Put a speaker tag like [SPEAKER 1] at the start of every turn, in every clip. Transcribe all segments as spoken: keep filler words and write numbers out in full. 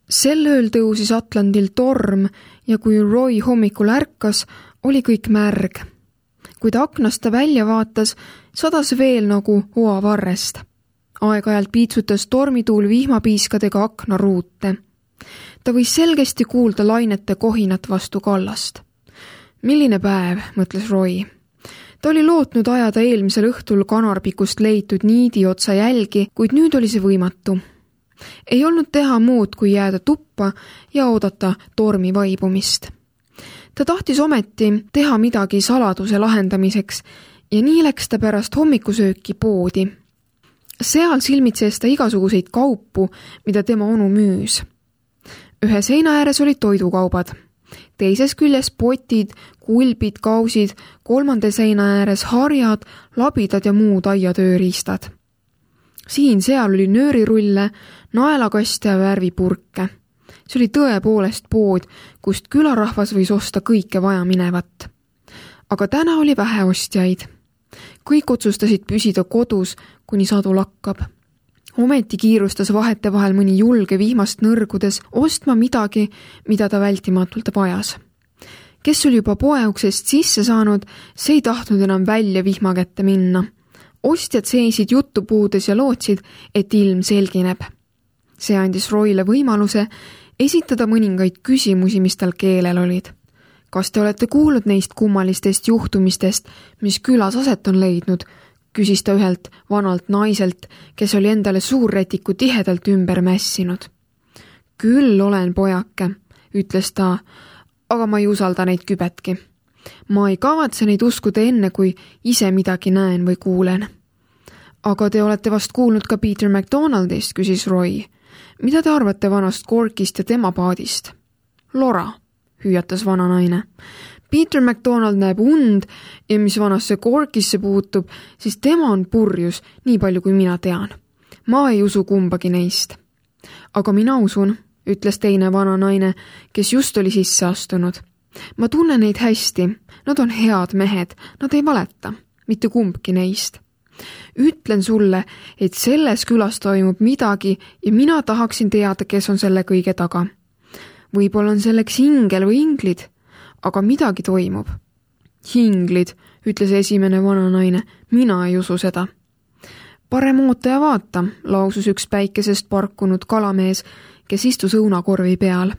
[SPEAKER 1] Sel ööl tõusis Atlandil torm ja kui Roy hommikul ärkas, oli kõik märg. Kui ta aknast ta välja vaatas, sadas veel nagu oavarrest. Aeg-ajalt piitsutas tormituul vihmapiiskadega aknaruute. Ta võis selgesti kuulda lainete kohinat vastu kallast. Milline päev, mõtles Roy. Ta oli lootnud ajada eelmisel õhtul kanarpikust leitud niidi otsa jälgi, kuid nüüd oli see võimatu. Ei olnud teha muud, kui jääda tuppa ja oodata tormi vaibumist. Ta tahtis ometi teha midagi saladuse lahendamiseks ja nii läks ta pärast hommikusööki poodi. Seal silmitses ta igasuguseid kaupu, mida tema onu müüs. Ühe seina ääres olid toidukaubad. Teises küljes potid, kulbid, kausid, kolmanda seina ääres harjad, labidad ja muud aiatööriistad. Siin seal oli nöörirulle, naelakaste ja värvipurke. See oli tõepoolest pood, kust külarahvas võis osta kõike vaja minevat. Aga täna oli vähe ostjaid. Kõik otsustasid püsida kodus, kuni sadu lakkab. Ometi kiirustas vahete vahel mõni julge vihmast nõrgudes ostma midagi, mida ta vältimatult vajas. Kes oli juba poeuksest sisse saanud, see ei tahtnud enam välja vihma kätte minna. Ostjad seisid jutupuudes ja lootsid, et ilm selgineb. See andis Royle võimaluse esitada mõningaid küsimusi, mis tal keelel olid. Kas te olete kuulnud neist kummalistest juhtumistest, mis külas aset on leidnud? Küsis ta ühelt vanalt naiselt, kes oli endale suurretiku tihedalt ümber mässinud. Küll olen pojake, ütles ta, aga ma ei usalda neid kübetki. Ma ei kavatse neid uskuda enne, kui ise midagi näen või kuulen. Aga te olete vast kuulnud ka Peter McDonaldist, küsis Roy. Mida te arvate vanast Corkist ja tema paadist? Lora, hüüatas vana naine. Peter McDonald näeb und ja mis vanasse Corkisse puutub, siis tema on purjus, nii palju kui mina tean. Ma ei usu kumbagi neist. Aga mina usun, ütles teine vana naine, kes just oli sisse astunud. Ma tunnen neid hästi, nad on head mehed, nad ei valeta, mitte kumbki neist. Ütlen sulle, et selles külas toimub midagi ja mina tahaksin teada, kes on selle kõige taga. Võib-olla on selleks ingel või inglid, aga midagi toimub. Hinglid, ütles esimene vana naine, mina ei usu seda. Parem oota ja vaata, lausus üks päikesest parkunud kalamees, kes istus õunakorvi peal.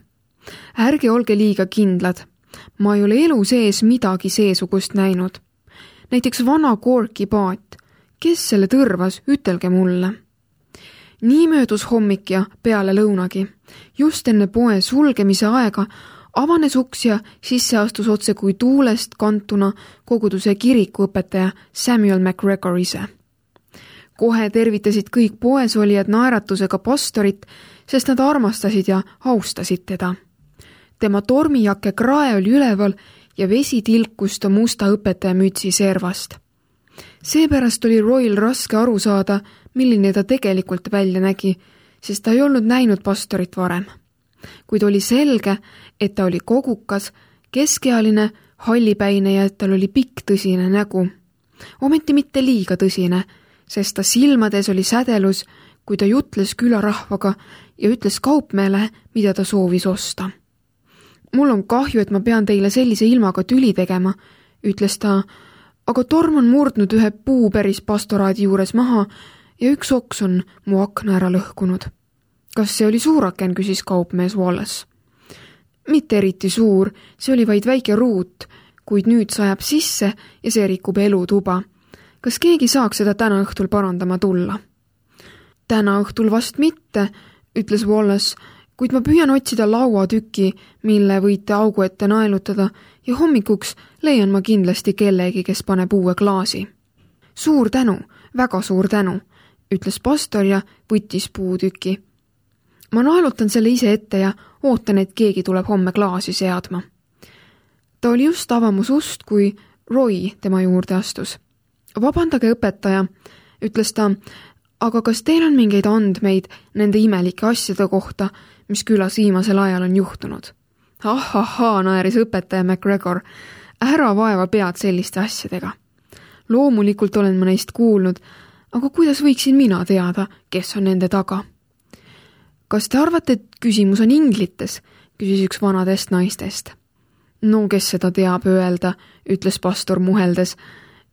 [SPEAKER 1] Ärge olge liiga kindlad. Ma ei ole elu sees midagi seesugust näinud. Näiteks vana Corki paat. Kes selle tõrvas, ütelge mulle. Nii möödus hommik ja peale lõunagi. Just enne poe sulgemise aega avanes uks ja sisse astus otse kui tuulest kantuna koguduse kirikuõpetaja Samuel McGregor ise. Kohe tervitasid kõik poesolijad naeratusega pastorit, sest nad armastasid ja austasid teda. Tema tormijake krae oli üleval ja vesi tilkus ta musta õpetaja mütsi servast. Seepärast oli Royl raske aru saada, milline ta tegelikult välja nägi, sest ta ei olnud näinud pastorit varem. Kuid oli selge, et ta oli kogukas, keskealine, hallipäine ja et tal oli pikk tõsine nägu. Ometi mitte liiga tõsine, sest ta silmades oli sädelus, kui ta jutles külarahvaga ja ütles kaupmeele, mida ta soovis osta. Mul on kahju, et ma pean teile sellise ilmaga tüli tegema, ütles ta, aga torm on murdnud ühe puu päris pastoraadi juures maha ja üks oks on mu akna ära lõhkunud. Kas see oli suuraken, küsis kaupmees Wallace. Mitte eriti suur, see oli vaid väike ruut, kuid nüüd sajab sisse ja see rikub elutuba. Kas keegi saaks seda täna õhtul parandama tulla? Täna õhtul vast mitte, ütles Wallace, kuid ma püüan otsida lauatüki, mille võite augu ette naelutada ja hommikuks leian ma kindlasti kellegi, kes paneb uue klaasi. Suur tänu, väga suur tänu, ütles pastor ja võttis puutüki. Ma naelutan selle ise ette ja ootan, et keegi tuleb homme klaasi seadma. Ta oli just avamus ust, kui Roy tema juurde astus. Vabandage õpetaja, ütles ta, aga kas teil on mingeid andmeid nende imelike asjade kohta, mis külas viimasel ajal on juhtunud? Ahahaa, naeris õpetaja McGregor, ära vaeva pead selliste asjadega. Loomulikult olen ma neist kuulnud, aga kuidas võiksin mina teada, kes on nende taga? Kas te arvate, et küsimus on inglites? Küsis üks vanadest naistest. No, kes seda teab öelda, ütles pastor muheldes.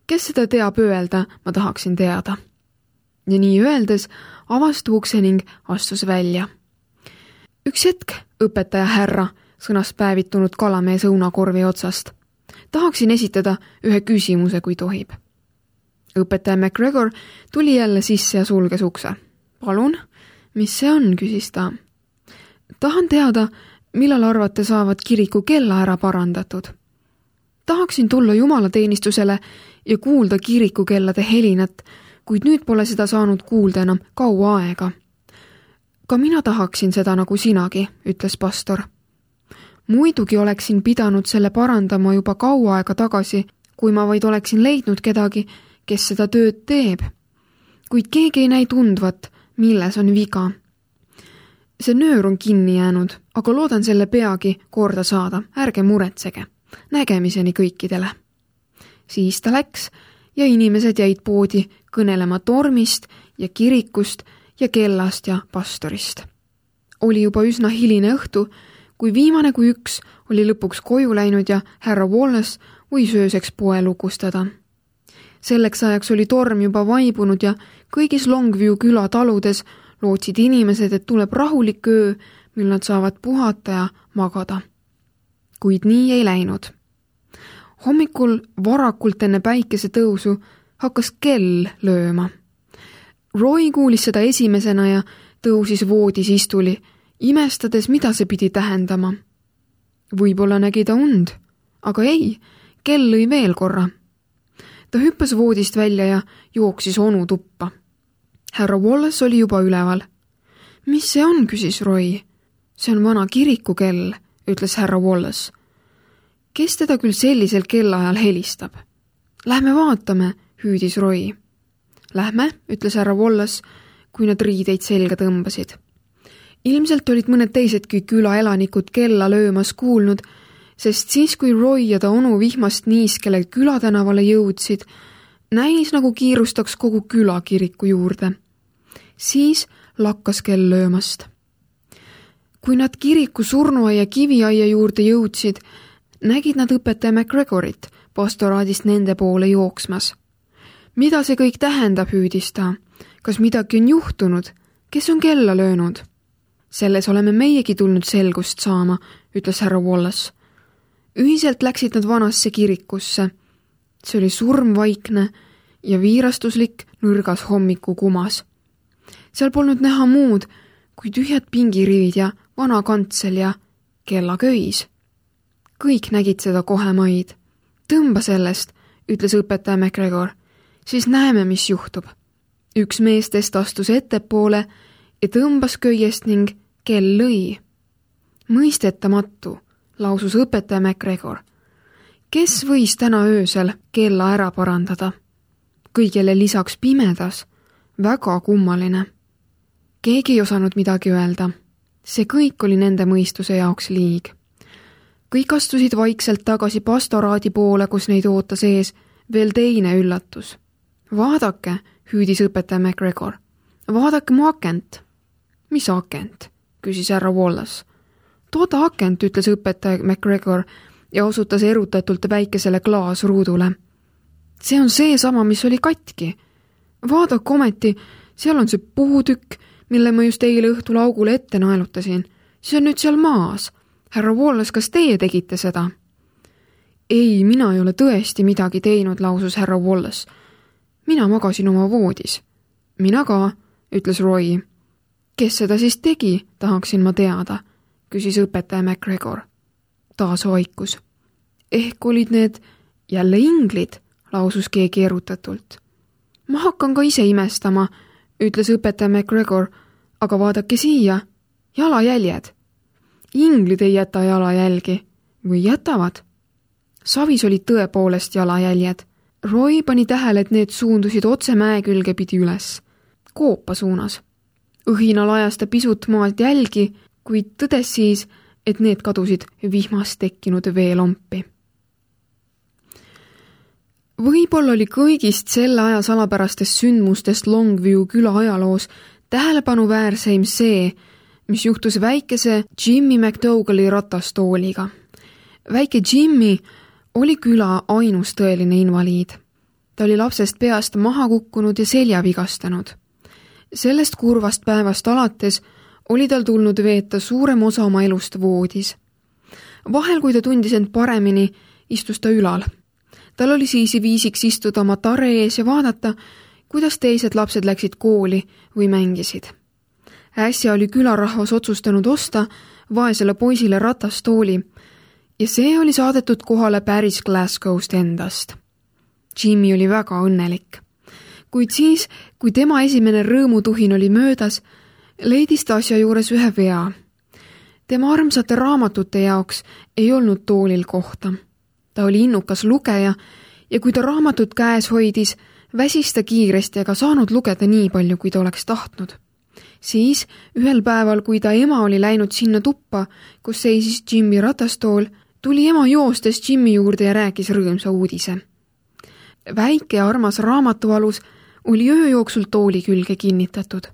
[SPEAKER 1] Kes seda teab öelda, ma tahaksin teada. Ja nii öeldes avas ukse ning astus välja. Üks hetk, õpetaja härra, sõnas päevitunud kalamees õunakorvi otsast. Tahaksin esitada ühe küsimuse, kui tohib. Õpetaja McGregor tuli jälle sisse ja sulges ukse. Palun, mis see on, küsis ta. Tahan teada, millal arvate saavad kiriku kella ära parandatud. Tahaksin tulla jumalateenistusele ja kuulda kiriku kellade helinat, kuid nüüd pole seda saanud kuulda enam kaua aega. Ka mina tahaksin seda nagu sinagi, ütles pastor. Muidugi oleksin pidanud selle parandama juba kaua aega tagasi, kui ma vaid oleksin leidnud kedagi, kes seda tööd teeb. Kuid keegi ei näi tundvat, milles on viga. See nöör on kinni jäänud, aga loodan selle peagi korda saada, ärge muretsege. Nägemiseni kõikidele. Siis ta läks ja inimesed jäid poodi kõnelema tormist ja kirikust ja kellast ja pastorist. Oli juba üsna hiline õhtu, kui viimane kui üks oli lõpuks koju läinud ja härra Wallace võis ööseks poe lukustada. Selleks ajaks oli torm juba vaibunud ja kõigis Longview küla taludes lootsid inimesed, et tuleb rahulik öö, mil nad saavad puhata ja magada. Kuid nii ei läinud. Hommikul varakult enne päikese tõusu hakkas kell lööma. Roy kuulis seda esimesena ja tõusis voodis istuli, imestades, mida see pidi tähendama. Võib-olla nägi ta und, aga ei, kell lõi veel korra. Ta hüppas voodist välja ja jooksis onu tuppa. Härra Wallace oli juba üleval. Mis see on, küsis Roy. See on vana kirikukell, ütles härra Wallace. Kes teda küll sellisel kellaajal helistab? Lähme vaatame, hüüdis Roy. Lähme, ütles härra Wallace, kui nad riideid selga tõmbasid. Ilmselt olid mõned teisedki külaelanikud kella löömas kuulnud, sest siis, kui Roy ja ta onu vihmast niiskele külatänavale jõudsid, näis nagu kiirustaks kogu küla kiriku juurde. Siis lakkas kell löömast. Kui nad kiriku surnuaia kiviaia juurde jõudsid, nägid nad õpetaja McGregorit pastoraadist nende poole jooksmas. Mida see kõik tähendab, hüüdis ta? Kas midagi on juhtunud? Kes on kella löönud? Selles oleme meiegi tulnud selgust saama, ütles härra Wallace. Ühiselt läksid nad vanasse kirikusse. See oli surmvaikne ja viirastuslik nõrgas hommiku kumas. Seal polnud näha muud kui tühjad pingirivid ja vana kantsel ja kellaköis. Kõik nägid seda kohe maid. Tõmba sellest, ütles õpetaja McGregor. Siis näeme, mis juhtub. Üks meestest astus ettepoole ja tõmbas köiest ning kell lõi. Mõistetamatu, lausus õpetaja McGregor. Kes võis täna öösel kella ära parandada? Kõigele lisaks pimedas, väga kummaline. Keegi ei osanud midagi öelda. See kõik oli nende mõistuse jaoks liig. Kõik astusid vaikselt tagasi pastoraadi poole, kus neid ootas ees veel teine üllatus. Vaadake, hüüdis õpetaja McGregor. Vaadake mu akent. Mis akent? Küsis härra Wallace. Toda akent, ütles õpetaja McGregor ja osutas erutatult väikesele klaasruudule. See on see sama, mis oli katki. Vaadake ometi, seal on see puutükk, mille ma just eile õhtul augule ette naelutasin. See on nüüd seal maas. Härra Wallace, kas teie tegite seda? Ei, mina ei ole tõesti midagi teinud, lausus härra Wallace. Mina magasin oma voodis. Mina ka, ütles Roy. Kes seda siis tegi, tahaksin ma teada, küsis õpetaja McGregor. Taas vaikus. Ehk olid need jälle inglid, lausus keegi erutatult. Ma hakkan ka ise imestama, ütles õpetaja McGregor, aga vaadake siia, jalajäljed. Inglid ei jäta jalajälgi, või jätavad? Savis olid tõepoolest jalajäljed. Roy pani tähele, et need suundusid otse mäe külge pidi üles, koopa suunas. Õhina lajas ta pisut maalt jälgi, kuid tõdes siis, et need kadusid vihmast tekkinud veelompi. Võib-olla oli kõigist selle aja salapärastest sündmustest Longview küla ajaloos tähelepanuväärseim see, mis juhtus väikese Jimmy McDougalli ratastooliga. Väike Jimmy oli küla ainus tõeline invaliid. Ta oli lapsest peast maha kukkunud ja selja vigastanud. Sellest kurvast päevast alates oli tal tulnud veeta suurem osa oma elust voodis. Vahel, kui ta tundis end paremini, istus ta ülal. Tal oli siis viisiks istuda oma tare ees ja vaadata, kuidas teised lapsed läksid kooli või mängisid. Äsja oli külarahvas otsustanud osta vaesele poisile ratastooli ja see oli saadetud kohale päris Glasgow'st endast. Jimmy oli väga õnnelik. Kuid siis, kui tema esimene rõõmutuhin oli möödas, leidis ta asja juures ühe vea. Tema armsate raamatute jaoks ei olnud toolil kohta. Ta oli innukas lugeja ja kui ta raamatut käes hoidis, väsis ta kiiresti ega saanud lugeda nii palju, kui ta oleks tahtnud. Siis ühel päeval, kui ta ema oli läinud sinna tuppa, kus seisis Jimmy ratastool, tuli ema joostes Jimmy juurde ja rääkis rõõmsa uudise. Väike armas raamatualus oli öö jooksul tooli külge kinnitatud.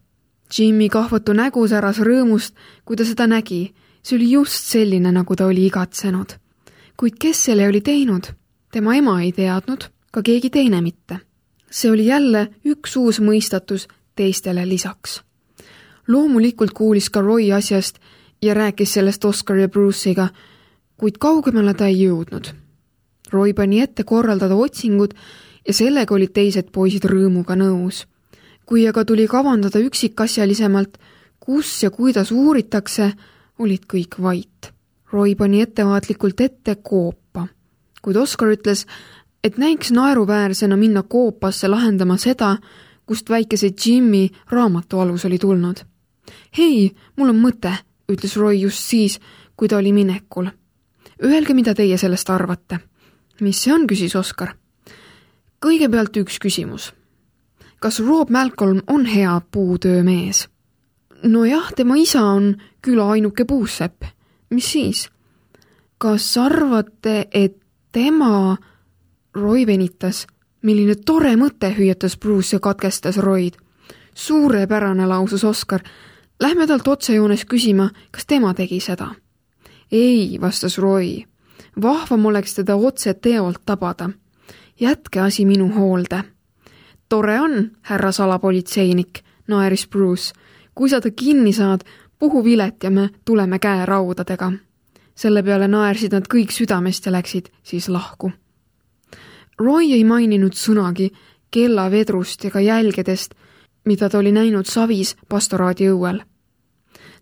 [SPEAKER 1] Jimmy kahvatu nägu säras rõõmust, kui ta seda nägi. See oli just selline, nagu ta oli igatsenud. Kuid kes selle oli teinud? Tema ema ei teadnud, ka keegi teine mitte. See oli jälle üks uus mõistatus teistele lisaks. Loomulikult kuulis ka Roy asjast ja rääkis sellest Oscar ja Bruce'iga, kuid kaugemale ta ei jõudnud. Roy pani ette korraldada otsingud ja sellega olid teised poisid rõõmuga nõus. Kui aga tuli kavandada üksikasjalisemalt, kus ja kuidas uuritakse, olid kõik vait. Roy pani ettevaatlikult ette koopa, kuid Oscar ütles, et näiks naeruväärsena minna koopasse lahendama seda, kust väikese Jimmy raamatualus oli tulnud. Hei, mul on mõte, ütles Roy just siis, kui ta oli minekul. Öelge, mida teie sellest arvate. Mis see on, küsis Oscar. Kõigepealt üks küsimus. Kas Rob Malcolm on hea puutöömees? No jah, tema isa on küla ainuke puusepp. Mis siis? Kas arvate, et tema... Roy venitas. Milline tore mõte, hüüatas Bruce ja katkestas Royd. Suurepärane, lausus Oscar. Lähme talt otsejoones küsima, kas tema tegi seda. Ei, vastas Roy. Vahvam oleks teda otse teolt tabada. Jätke asi minu hoolde. Tore on, härra salapolitseinik, naeris Bruce. Kui sa ta kinni saad, puhu vilet ja me tuleme käe raudadega. Selle peale naersid nad kõik südamest ja läksid siis lahku. Roy ei maininud sõnagi kellavedrust ega jälgedest, mida ta oli näinud savis pastoraadi õuel.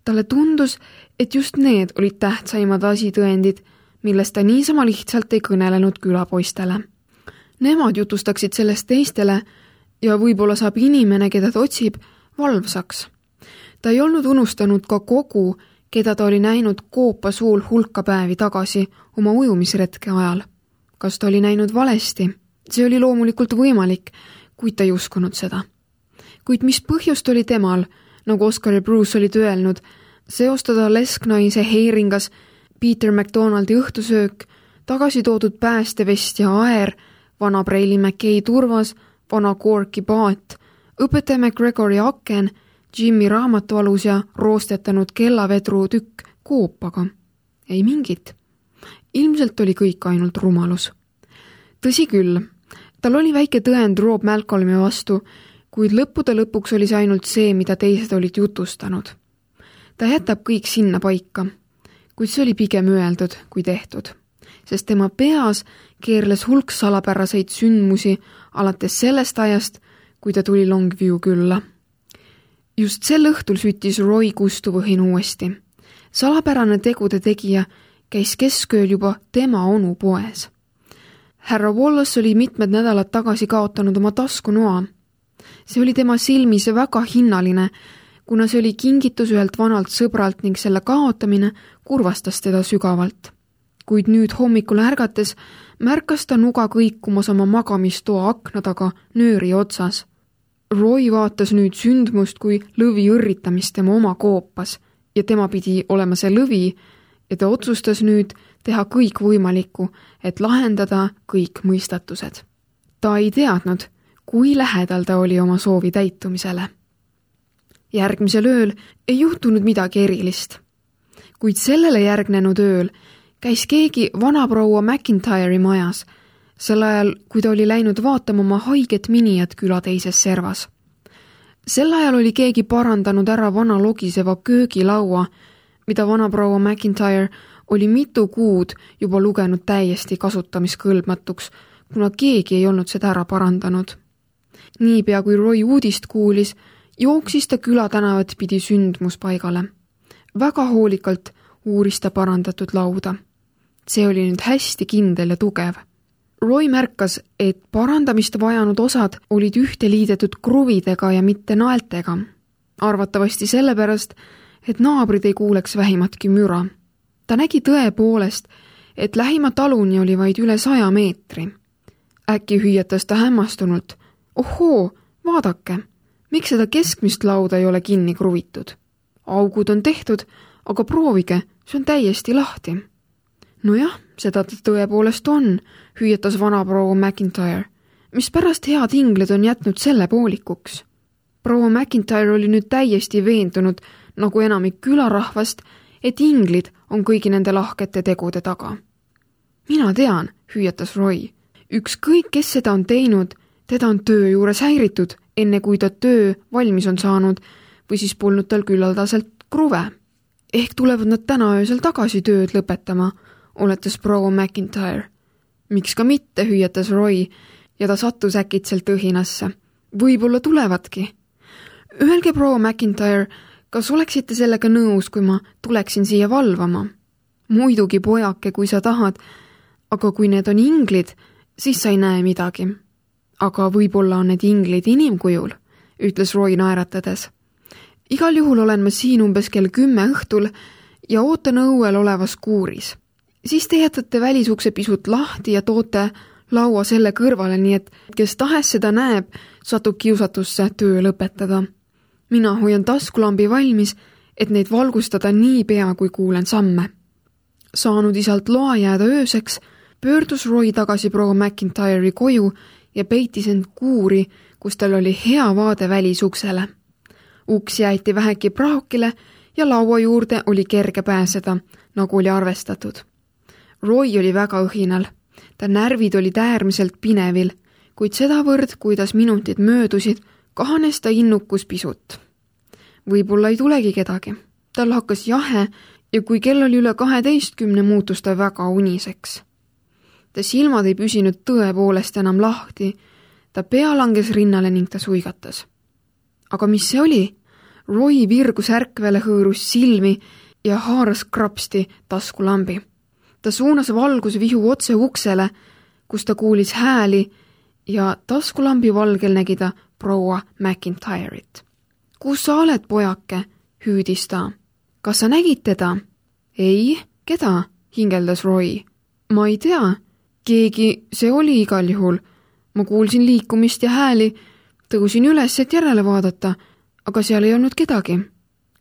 [SPEAKER 1] Talle tundus, et just need olid tähtsaimad asitõendid, millest ta niisama lihtsalt ei kõnelenud külapoistele. Nemad jutustaksid sellest teistele ja võib-olla saab inimene, keda ta otsib, valvsaks. Ta ei olnud unustanud ka kogu, keda ta oli näinud koopa suul hulka päevi tagasi oma ujumisretke ajal. Kas ta oli näinud valesti? See oli loomulikult võimalik, kuid ta ei uskunud seda. Kuid mis põhjust oli temal, nagu Oscar ja Bruce olid öelnud, seostada lesknaise heiringas Peter McDonaldi õhtusöök, tagasi toodud päästevest ja aer, vana Preili McKay turvas, vana Corki paat, õpetaja McGregori aken, Jimmy raamatualus ja roostetanud kellavedru tükk koopaga. Ei mingit. Ilmselt oli kõik ainult rumalus. Tõsi küll, tal oli väike tõend Rob Malcolmi vastu, kuid lõppude lõpuks oli see ainult see, mida teised olid jutustanud. Ta jätab kõik sinna paika, kuid see oli pigem öeldud kui tehtud, sest tema peas keerles hulk salapäraseid sündmusi alates sellest ajast, kui ta tuli Longview külla. Just sel õhtul süttis Roy kustuvõhin uuesti. Salapärane tegude tegija käis keskööl juba tema onu poes. Härra Wallace oli mitmed nädalad tagasi kaotanud oma taskunoa. See oli tema silmis väga hinnaline, kuna see oli kingitus ühelt vanalt sõbralt ning selle kaotamine kurvastas teda sügavalt. Kuid nüüd hommikul ärgates märkas ta nuga kõikumas oma magamistoa akna taga nööri otsas. Roy vaatas nüüd sündmust kui lõvi õrritamist tema oma koopas ja tema pidi olema see lõvi ja ta otsustas nüüd teha kõik võimalikku, et lahendada kõik mõistatused. Ta ei teadnud, kui lähedal ta oli oma soovi täitumisele. Järgmisel ööl ei juhtunud midagi erilist. Kuid sellele järgnenud ööl käis keegi vanaproua McIntyre'i majas, sel ajal, kui ta oli läinud vaatama oma haiget minijat küla teises servas. Sel ajal oli keegi parandanud ära vana logiseva köögilaua, mida vanaproua McIntyre oli mitu kuud juba lugenud täiesti kasutamiskõlbmatuks, kuna keegi ei olnud seda ära parandanud. Niipea kui Roy uudist kuulis, jooksis ta külatänavat pidi sündmuspaigale. Väga hoolikalt uuris ta parandatud lauda. See oli nüüd hästi kindel ja tugev. Roy märkas, et parandamist vajanud osad olid ühte liidetud kruvidega ja mitte naeltega. Arvatavasti sellepärast, et naabrid ei kuuleks vähimatki müra. Ta nägi tõepoolest, et lähima taluni oli vaid üle saja meetri. Äkki hüüatas ta hämmastunult. Ohoo, vaadake, miks seda keskmist lauda ei ole kinni kruvitud? Augud on tehtud, aga proovige, see on täiesti lahti. Nojah, seda ta tõepoolest on, hüüatas vanaproua McIntyre, mis pärast head inglid on jätnud selle poolikuks. Proua McIntyre oli nüüd täiesti veendunud, nagu enamik külarahvast, et inglid on kõigi nende lahkete tegude taga. Mina tean, hüüatas Roy. Ükskõik, kes seda on teinud, teda on töö juures häiritud, enne kui ta töö valmis on saanud või siis polnud tal küllaldaselt kruve. Ehk tulevad nad täna öösel tagasi tööd lõpetama, oletas proua McIntyre. Miks ka mitte, hüüatas Roy ja ta sattus äkitselt õhinasse. Võib-olla tulevadki. Öelge, proua McIntyre, kas oleksite sellega nõus, kui ma tuleksin siia valvama? Muidugi, pojake, kui sa tahad, aga kui need on inglid, siis sa ei näe midagi. Aga võib-olla on need inglid inimkujul, ütles Roy naeratades. Igal juhul olen ma siin umbes kell kümme õhtul ja ootan õuel olevas kuuris. Siis te jätate välisukse pisut lahti ja toote laua selle kõrvale, nii et kes tahes seda näeb, satub kiusatusse töö lõpetada. Mina hoian taskulambi valmis, et neid valgustada nii pea, kui kuulen samme. Saanud isalt loa jääda ööseks, pöördus Roy tagasi proua McIntyre'i koju ja peitis end kuuri, kus tal oli hea vaade välisuksele. Uks jäeti väheki praokile ja laua juurde oli kerge pääseda, nagu oli arvestatud. Roy oli väga õhinal. Ta närvid olid äärmiselt pinevil, kuid sedavõrd, kuidas minutid möödusid, kahanes ta innukus pisut. Võib-olla ei tulegi kedagi. Tal hakkas jahe ja kui kell oli üle kaheteistkümne, muutus ta väga uniseks. Ta silmad ei püsinud tõepoolest enam lahti. Ta pea langes rinnale ning ta suigatas. Aga mis see oli? Roy virgus ärkvele, hõõrus silmi ja haaras krapsti taskulambi. Ta suunas valgusvihu otse uksele, kus ta kuulis hääli ja taskulambi valgel nägi ta proua McIntyre'it. Kus sa oled, pojake? Hüüdis ta. Kas sa nägid teda? Ei, keda? Hingeldas Roy. Ma ei tea. Keegi see oli igal juhul. Ma kuulsin liikumist ja hääli, tõusin üles, et järele vaadata, aga seal ei olnud kedagi.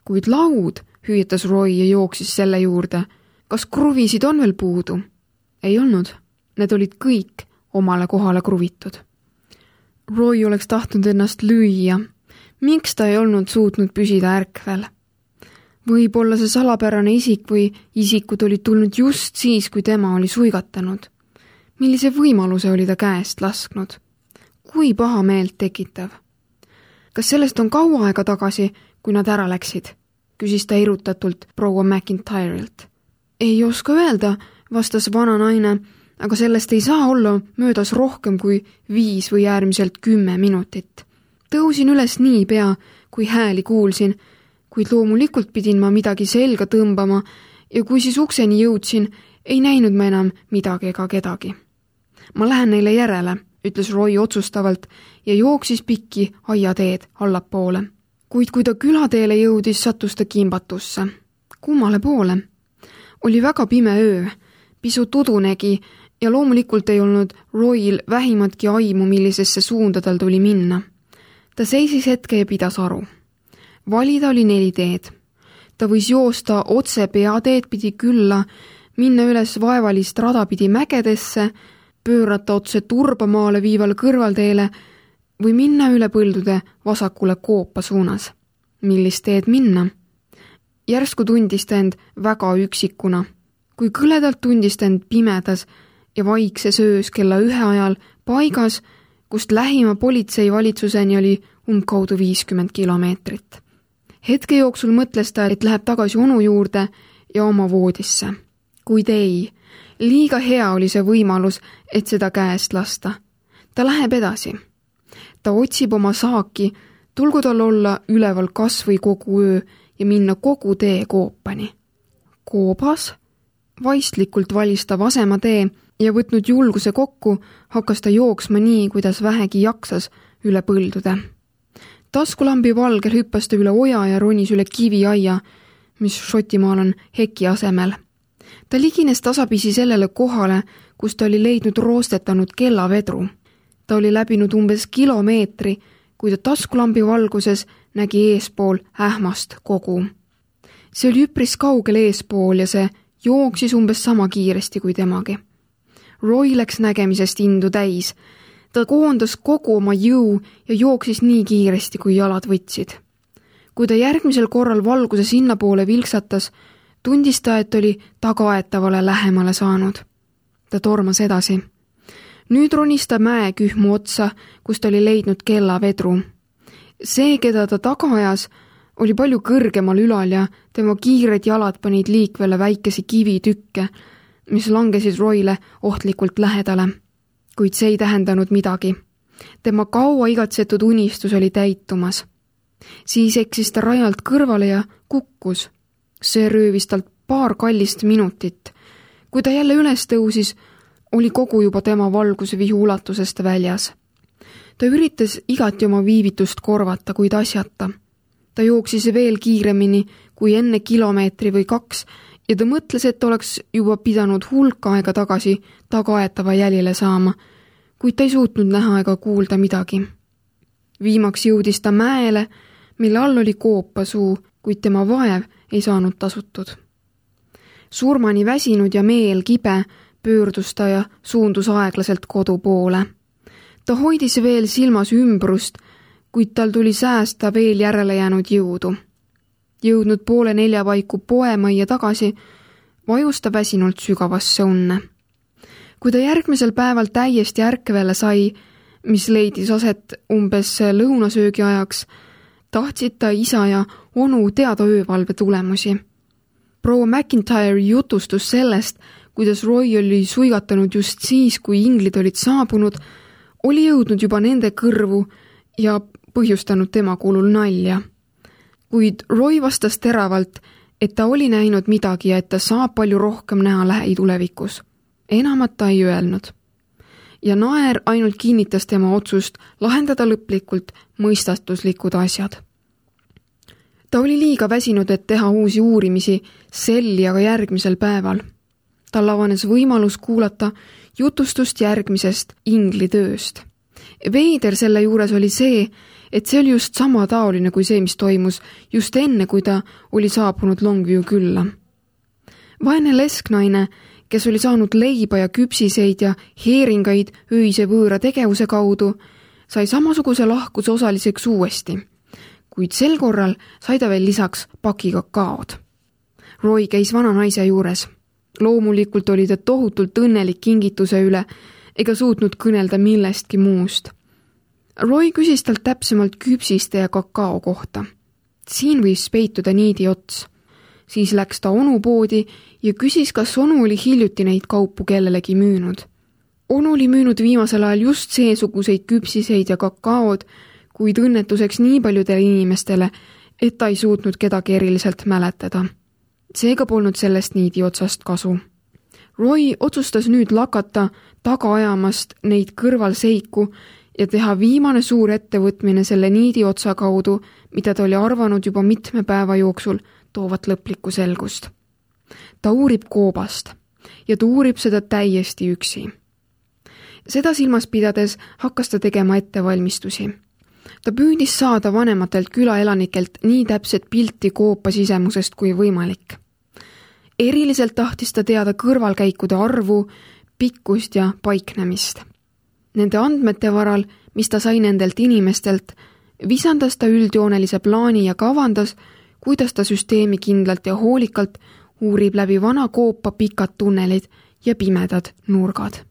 [SPEAKER 1] Kuid laud, hüüetas Roy ja jooksis selle juurde. Kas kruvisid on veel puudu? Ei olnud. Need olid kõik omale kohale kruvitud. Roy oleks tahtnud ennast lüüa. Miks ta ei olnud suutnud püsida ärkvel? Võib-olla see salapärane isik või isikud olid tulnud just siis, kui tema oli suigatanud. Millise võimaluse oli ta käest lasknud? Kui paha meelt tekitav? Kas sellest on kaua aega tagasi, kui nad ära läksid? Küsis ta irutatult proua McIntyre'ilt. Ei oska öelda, vastas vana naine, aga sellest ei saa olla möödas rohkem kui viis või äärmiselt kümme minutit. Tõusin üles nii pea, kui hääli kuulsin, kuid loomulikult pidin ma midagi selga tõmbama ja kui siis ukseni jõudsin, ei näinud ma enam midagi ega kedagi. Ma lähen neile järele, ütles Roy otsustavalt ja jooksis pikki aiateed allapoole. Kuid kui ta külateele jõudis, sattus ta kimbatusse. Kummale poole? Oli väga pime öö, pisut udunegi ja loomulikult ei olnud Royl vähimatki aimu, millisesse suunda tal tuli minna. Ta seisis hetke ja pidas aru. Valida oli neli teed. Ta võis joosta otse peateed pidi külla, minna üles vaevalist rada pidi mägedesse, pöörata otse turbamaale viivale kõrvalteele või minna üle põldude vasakule koopa suunas. millist teed minna. Järsku tundis ta end väga üksikuna, kui kõledalt tundis ta end pimedas ja vaikses öös kella ühe ajal paigas, kust lähima politseivalitsuseni oli umbkaudu viiskümmend kilomeetrit. Hetke jooksul mõtles ta, et läheb tagasi onu juurde ja oma voodisse. Kuid ei, liiga hea oli see võimalus, et seda käest lasta. Ta läheb edasi. Ta otsib oma saaki, tulgu tal olla üleval kas või kogu öö ja minna kogu tee koopani. Koobas, vaistlikult valis ta vasema tee ja võtnud julguse kokku, hakkas ta jooksma nii, kuidas vähegi jaksas üle põldude. Taskulambi valgel hüppas ta üle oja ja ronis üle kiviaia, mis Šotimaal on heki asemel. Ta ligines tasapisi sellele kohale, kus ta oli leidnud roostetanud kellavedru. Ta oli läbinud umbes kilomeetri, kui ta taskulambi valguses nägi eespool ähmast kogu. See oli üpris kaugel eespool ja see jooksis umbes sama kiiresti kui temagi. Roy läks nägemisest indu täis. Ta koondas kogu oma jõu ja jooksis nii kiiresti, kui jalad võtsid. Kui ta järgmisel korral valguse sinnapoole vilksatas, tundis ta, et oli tagaaetavale lähemale saanud. Ta tormas edasi. Nüüd ronis ta mäekühmu otsa, kus ta oli leidnud kellavedru. See, keda ta taga ajas, oli palju kõrgemal ülal ja tema kiired jalad panid liikvele väikesi kivitükke, mis langesid Royle ohtlikult lähedale. Kuid see ei tähendanud midagi. Tema kaua igatsetud unistus oli täitumas. Siis eksis ta rajalt kõrvale ja kukkus. See röövis talt paar kallist minutit. Kui ta jälle üles tõusis, oli kogu juba tema valgusvihu ulatusest väljas. Ta üritas igati oma viivitust korvata, kuid asjata. Ta jooksis veel kiiremini kui enne kilomeetri või kaks ja ta mõtles, et oleks juba pidanud hulk aega tagasi tagaaetava jälile saama, kuid ta ei suutnud näha ega kuulda midagi. Viimaks jõudis ta mäele, mille all oli koopasuu, kuid tema vaev ei saanud tasutud. Surmani väsinud ja meel kibe pöördus ta ja suundus aeglaselt kodu poole. Ta hoidis veel silmas ümbrust, kuid tal tuli säästa veel järele jäänud jõudu. Jõudnud poole nelja paiku poemajja tagasi, vajus ta väsinult sügavasse unne. Kui ta järgmisel päeval täiesti ärkvele sai, mis leidis aset umbes lõunasöögi ajaks, tahtsid ta isa ja onu teada öövalve tulemusi. Proua McIntyre jutustus sellest, kuidas Roy oli suigatanud just siis, kui inglid olid saabunud, oli jõudnud juba nende kõrvu ja põhjustanud tema kuulul nalja. Kuid Roy vastas teravalt, et ta oli näinud midagi ja et ta saab palju rohkem näha lähitulevikus. Enamat ta ei öelnud. Ja naer ainult kinnitas tema otsust lahendada lõplikult mõistatuslikud asjad. Ta oli liiga väsinud, et teha uusi uurimisi sel ja ka järgmisel päeval. Tal avanes võimalus kuulata jutustust järgmisest ingli tööst. Veider selle juures oli see, et see oli just sama taoline kui see, mis toimus just enne, kui ta oli saabunud Longview külla. Vaene lesknaine, kes oli saanud leiba ja küpsiseid ja heeringaid öise võõra tegevuse kaudu, sai samasuguse lahkuse osaliseks uuesti, kuid sel korral sai ta veel lisaks paki kakaod. Roy käis vana naise juures. Loomulikult oli ta tohutult õnnelik kingituse üle ega suutnud kõnelda millestki muust. Roy küsis talt täpsemalt küpsiste ja kakao kohta. Siin võis peituda niidi ots. Siis läks ta onu poodi ja küsis, kas onu oli hiljuti neid kaupu kellelegi müünud. Onu oli müünud viimasel ajal just seesuguseid küpsiseid ja kakaod, kuid õnnetuseks nii paljudele inimestele, et ta ei suutnud kedagi eriliselt mäletada. Seega polnud sellest niidi otsast kasu. Roy otsustas nüüd lakata taga ajamast neid kõrvalseiku ja teha viimane suur ettevõtmine selle niidi otsa kaudu, mida ta oli arvanud juba mitme päeva jooksul toovat lõplikku selgust. Ta uurib koobast ja ta uurib seda täiesti üksi. Seda silmas pidades hakkas ta tegema ettevalmistusi. Ta püüdis saada vanematelt külaelanikelt nii täpset pilti koopa sisemusest kui võimalik. Eriliselt tahtis ta teada kõrvalkäikude arvu, pikkust ja paiknemist. Nende andmete varal, mis ta sai nendelt inimestelt, visandas ta üldjoonelise plaani ja kavandas, kuidas ta süsteemi kindlalt ja hoolikalt uurib läbi vana koopa pikad tunnelid ja pimedad nurgad.